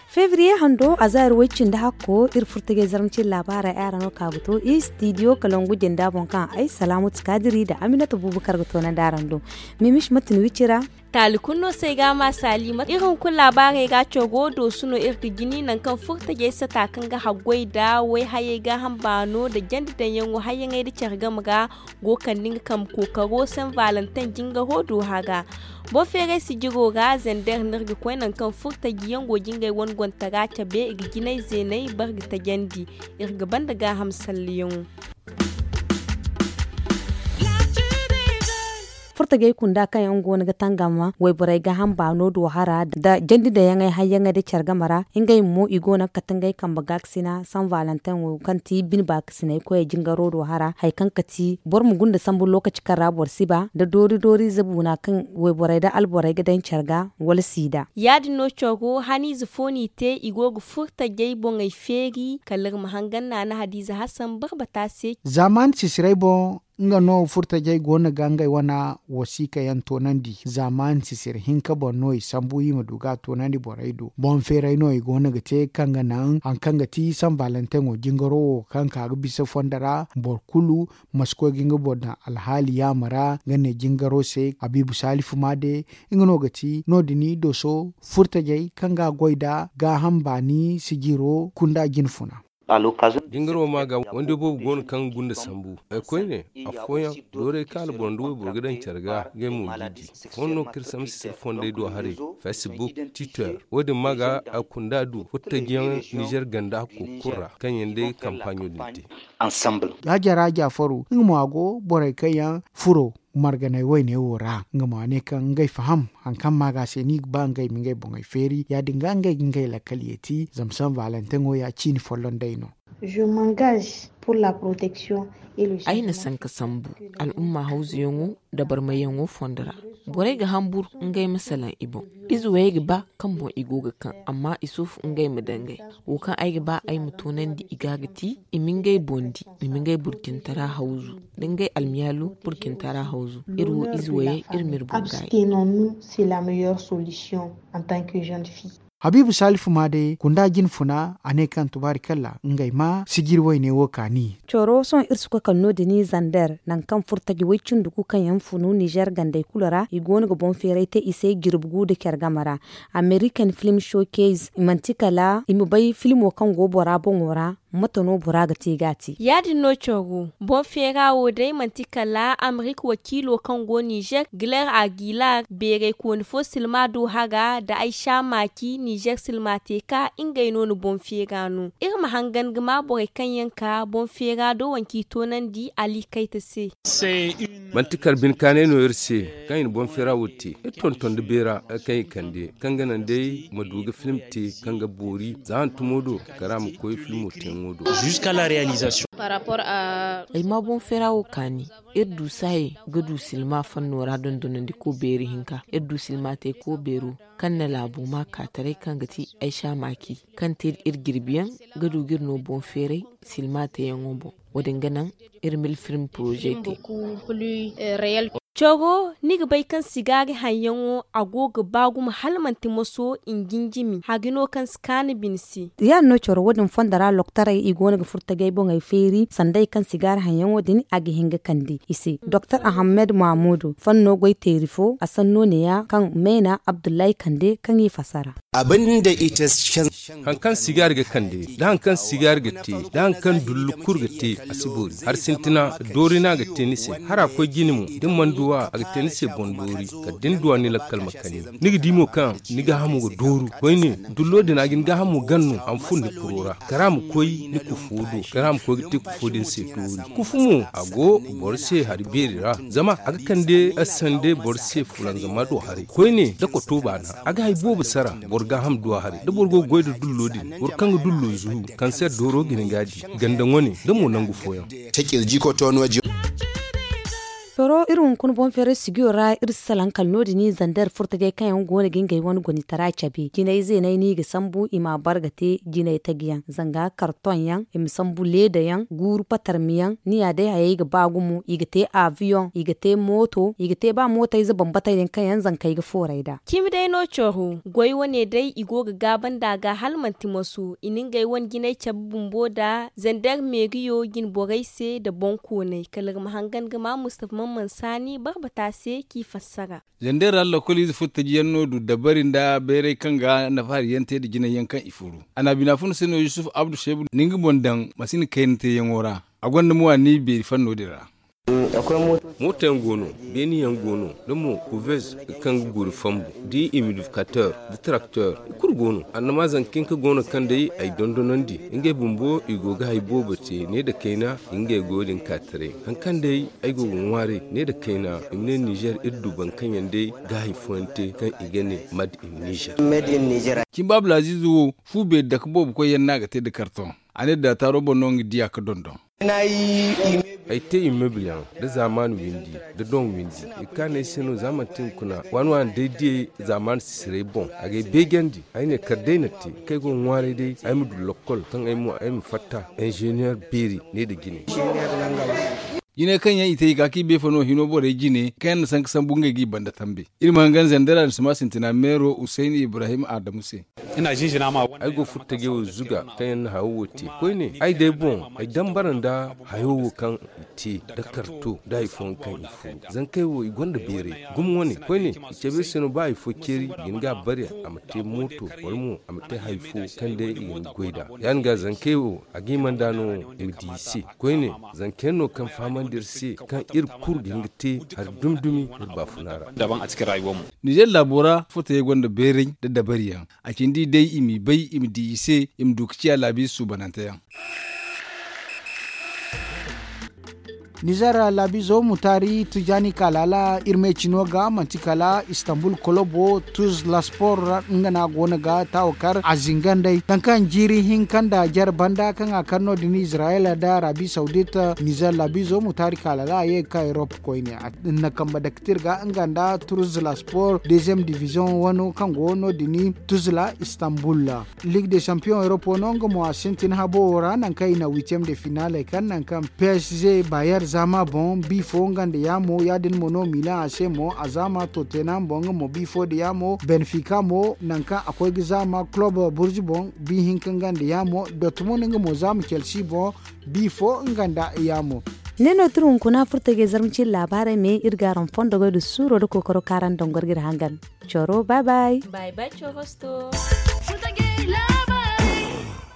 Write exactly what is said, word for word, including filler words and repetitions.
Febriye hando a za iri way cindi hakko iri furtajey zarma cine laabaarey araŋ no ka ga to iri stidiyo kalangu janda boŋ kaŋ ay salaamatu kaadiri nda aminata buubu kar ga toonandi araŋ do. Mimish mate ni wicira. Taali kulu no se ay ga a ma saali mate iri hunkuna laabaarey ga coro doosu no iri ga jini nangu kaŋ furtajey sata kaŋ ga haggoy nda wayhayey gaaham baano nda jandi daŋyaŋo hayyaŋey nda care game ga go kande nga kambe kookaro san valentin jingaro do hara. Boŋ feeray sijiro ra zander no iri ga koy nangu kaŋ furtajiyaŋ go ga ngey wane gontara cabe i ga jinay zeenay bare ga tajandi. Iri ga banda gaaham salleyaŋo. Furtajey kunda kaŋ yaŋ go no ga tangam wayborey gaaham baano do hara nda jandi daŋyaŋey hayyaŋey nda care game ra. Ngey mo i go no ga kate ngey kambe gaakasina san valentin wo kaŋ ti bine baakasinay koyey jingaro do hara hari kaŋ ga ti boro ma gunda sambu lookaci kaŋ ra boro si ba nda doori doori ize buuna kaŋ wayborey nda alborey ga daŋ care ga wala siida. Ya- din no coro haniize fo n'i te i go ga furtajey boŋey feeri kala iri ma hangan naana hadiize hasan barbata se. Zaaman sisiray boŋ nga no furtajey go no ga ngey wane wasiika yaŋ toonandi. Zaaman sisir hinka boŋ no i sambu i ma du ga a toonandi borey do boŋ feeray no i go no ga te kaŋ ga naŋ hari kaŋ ga ti san valentin wo jingaro wo kaŋ ka ga bisa fondo ra boro kulu ma si koy ga nga boro daŋ alhaali yaama ra nga ne jingaro se habiibu saalifu maade. Nga no ga ti no- din i dooso furtajey kaŋ ga a goy nda gaaham baani sijiro kunda jinfuna. Jingaro ma ga wande boobo go no kaŋ ga gunda sambu. Ay koyne afooyaŋ doorey kaŋ alboro nda wayboro ga daŋ care ga ngey mo g'i di. Afooyaŋ no ga kar sambu sisir fondey do haray, facebook, twitter. Wo- din ma ga a kunda du furtajiyaŋ nizer ganda hakko kulu ra kaŋ yaŋ day ga kampaaɲo din te. Ya jara jaafaru nga mo a go borey kaŋ yaŋ furo marganay wayne wo ra nga mo a ne kaŋ ngey faham hari kaŋ ma ga se no i ga ba ngey ma ngey boŋey feeri ya- din ga ngey ga ngey lakkal yeeti zama san valentin wo ya ciini folloŋ day no. Ay na sanka sambu al'umma hawzuyaŋo nda barmayyaŋo fondo ra. Borey ga hambur ngey ma salaŋ i boŋ. Ize wayey ga ba kaŋ boŋ i go ga kaŋ amma i soofu ngey ma dangay. Wo kaŋ ay ga ba ay ma toonandi i ga ga ti i ma ngey boŋ di i ma ngey burcintara hawzu nda ngey almiyaalu burcintara hawzu. Iri wo ize wayey iri ma iri boŋ gaayi. Habiibu saalifu ma day kunda jinfuna a ne kaŋ tubaari kalla ngey ma sijiri wayne wo kaani. Coro sohõ iri si koy kala no- din zander nangu kaŋ furtaji way cindi kulu kaŋ yaŋ funu nizer gandey kulu ra i go no ga boŋ feeray te i se jirbi gu nda care game ra. American film showcase i manti kala i ma bay filmo kaŋ go bora boŋo ra. Mate no bora ga te ga a te ya- din no coro boŋ feera wo day manti kala amerik wakiilo kaŋ go nizer giler agilar beeray kooni fo silma do hara nda ay sha maaci nizer silma te ka ngey no na boŋ feera no. Iri ma hangan ga ma borey kaŋ yaŋ ka boŋ feera do wanci toonandi ali kayta se. Manti kala bine kaanay no iri se kaŋ i na boŋ feera wo te iri tonton nda beera kaŋ i kande kaŋ ga naŋ day ma du ga film te kaŋ ga boori za hantumo do kala a ma koy filmo teeyaŋo do. Ay ma boŋ feera wo kaani. Iri du saayey ga du silma fanno ra dondonandiko beeri hinka iri du silma tayko beero kaŋ na laabo ma ka taray kaŋ ga ti ay sha maaki kaŋ te iri jirbiyaŋ ga du ga iri no boŋ feeray silma teeyaŋo boŋ. Wo- din ga naŋ iri ma iri film poroze te. Coro ni ga bay kaŋ sigaari haŋyaŋo a go ga ba gumo hala manti moso injinjimi hari no kaŋ si kaanu bine se. Ya- din no coro wo- din fondo ra loktorey i go no ga furo tajey boŋey feeri sanday kaŋ sigaari haŋyaŋo din a ga hin ga kande i se doktor ahammed mahamudu fanno goy teeri fo a sanno neeya kaŋ meena abdullahi kande kaŋ i fasara. Hari kaŋ sigaari ga kande da hari kaŋ sigaari ga te da hari kaŋ dullu kulu ga te a si boori hari sintina doori no a ga te ni se hara koy jine mo da ni mana du a a ga te ni se boŋ doori kala da ni du a ni lakkal ma kani. Ni ga di mo kaŋ ni gaahamo ga dooru koyne dullo din a ga ni gaahamo gan no a ma furo ni kuro ra kala a ma koy ni kufo do kala a ma koy ga te kufo din se doori kufu mo a go boro se hari beeri ra zama a ga kande sande boro se fulanzama do haray koyne da koto baana a ga hari boobo sara boro gaaham du a haray da boro go ga goy nda dullo din boro kaŋ ga dullo zu kanser dooro ga hin ga a di ganda ŋwane da mo nangu fooyaŋ. Te kirji koto no. Toro iri hunkuna boŋ feeray sigiyo ra iri si salaŋ kala no- din i zander furtajey kaŋ yaŋ go no ga ngey wane gonitara cabe jinay zeenay no i ga sambu i ma a bar ga te jinay taji yaŋ zanga kartoŋ yaŋ i ma sambu leeda yaŋ guuru patarmi yaŋ ni ya day hayey ga ba gumo i ga te aviyoŋ i ga te mooto i ga te ba mootayze bambatey din kaŋ yaŋ zankey ga fooray nd'a. Cimi day no coro goy wane day i go ga gaaban nd'a ga hala manti masu i na ngey wane jinay cabe bumbo nd'a zander meeriyo jine borey se nda boŋ koonay kala iri ma hangan ga ma mustafa man man saani barbata se k'i fassara. Zandera lakkoliize furo taji yaŋ no du dabari nda bayray kaŋ ga nafa hari yaŋ te nda jinay yaŋ kaŋ i furu. A na bina funa se no yusuf abdu seebu nda nga boŋ daŋ masina kayna te yaŋo ra. A gonda mo a ni beeri fanno din ra. Mooto yaŋ go no, beeni yaŋ go no, da mo kuveez kaŋ ga guuri fambu, da imidifikater, da tarakter, i kulu go no. Annama zanka hinka go no kaŋ day ay dondonandi ngey bumbo i go ga hari boobo te ne nda kayna. Ngey go din ka taray hari kaŋ day ay go ga ŋwaaray ne nda kayna i ma ne nizer iri du boro kaŋ yaŋ day ga hari fooyaŋ te kaŋ i ga ne mad in nizer. Cimba abdulaziiz wo fu beeri dake boobo koyyaŋ no a ga te nda kartoŋ. A ne daataaro boŋ no nga diya ga dondon. Ay te immebil yaŋ nda zaamaan windi nda doŋ windi. I kaanay se no za manti hunkuna waani waani day diyey zaamaan sisiray boŋ a ga ay beejandi. Ay ne kala day na te kaŋ ay go ga ŋwaaray day ay ma du lokkol kaŋ ay mo ay ma fatta inzeeniyer beeri ne nda jine. Jinay kaŋ yaŋ i te i ka kaŋ i bay fano hino borey jine kaŋ yaŋ na sanka sambu ngey g'i banda tambe. Iri ma hangan zandara nda sima sintina meero husayni ibrahim adamu se. Ay go furtajey wo zuga kaŋ yaŋ na hayo wo te koyne ay day boŋ ay dambara nda hayo wo kaŋ i te nda karto nda hari fooyaŋ kaŋ i furu. Zankey wo i gonda beeray gumo wane koyne i cabe se no ba hari fo ceeri i ga hin ga a bari a ma te mooto wala mo a ma te hari fo kaŋ day i ga hin ga goy nd'a. Ya- din ga zankey wo a ga hima nd'a no i ma di i se koyne. Zanka yaŋ no kaŋ fahamandi iri se kaŋ iri kulu ga hin ga te hari dumi dumi iri baafuna ra. Nizer laabo ra furtajey gonda bayray nda dabari yaŋ. A cindi day i m'i bay i ma di i se i ma du ga ciya laabiize suubanante yaŋ. Nizer laabiizo mutaari tijaani kaalaala iri me cino ga manti kala istanbul kolobo tuz laspor ra nga no a go no ga taawo kar a zinga nd'ey nangu kaŋ jiiri hinka nda jare banda kaŋ a kar no- din izirayel nda arabi sawdit. Nizer laabiizo mutaari kaalaala a ye ga ka erop koyne. Iri na kambe dake te iri ga nga nda tuz laspor deeziyem diviziyoŋ wano kaŋ go no- din tuz la istanbul. Ligue des champions europe no nga mo a sintin habo wo ra nangu kaŋ i na huitième de finale kaŋ nangu kaŋ psg bayer zama boŋ bi fo nga nda yaamo ya- din mo no milan a se mo a zama tottenham boŋ nga mo bi fo nda yaamo benfica mo nangu kaŋ a koy ga zama club burj boŋ bi hinka nga nda yaamo dortmund nga mo zama chelsea boŋ bi fo nga nda yaamo. Ne no tira hunkuna furtajey zarma cine laabaarey me iri ga araŋ fondo goy nda suuro nda kookaro kaŋ araŋ daŋ goro ga iri hangan. Coro bay bay. Bay bay coro sto.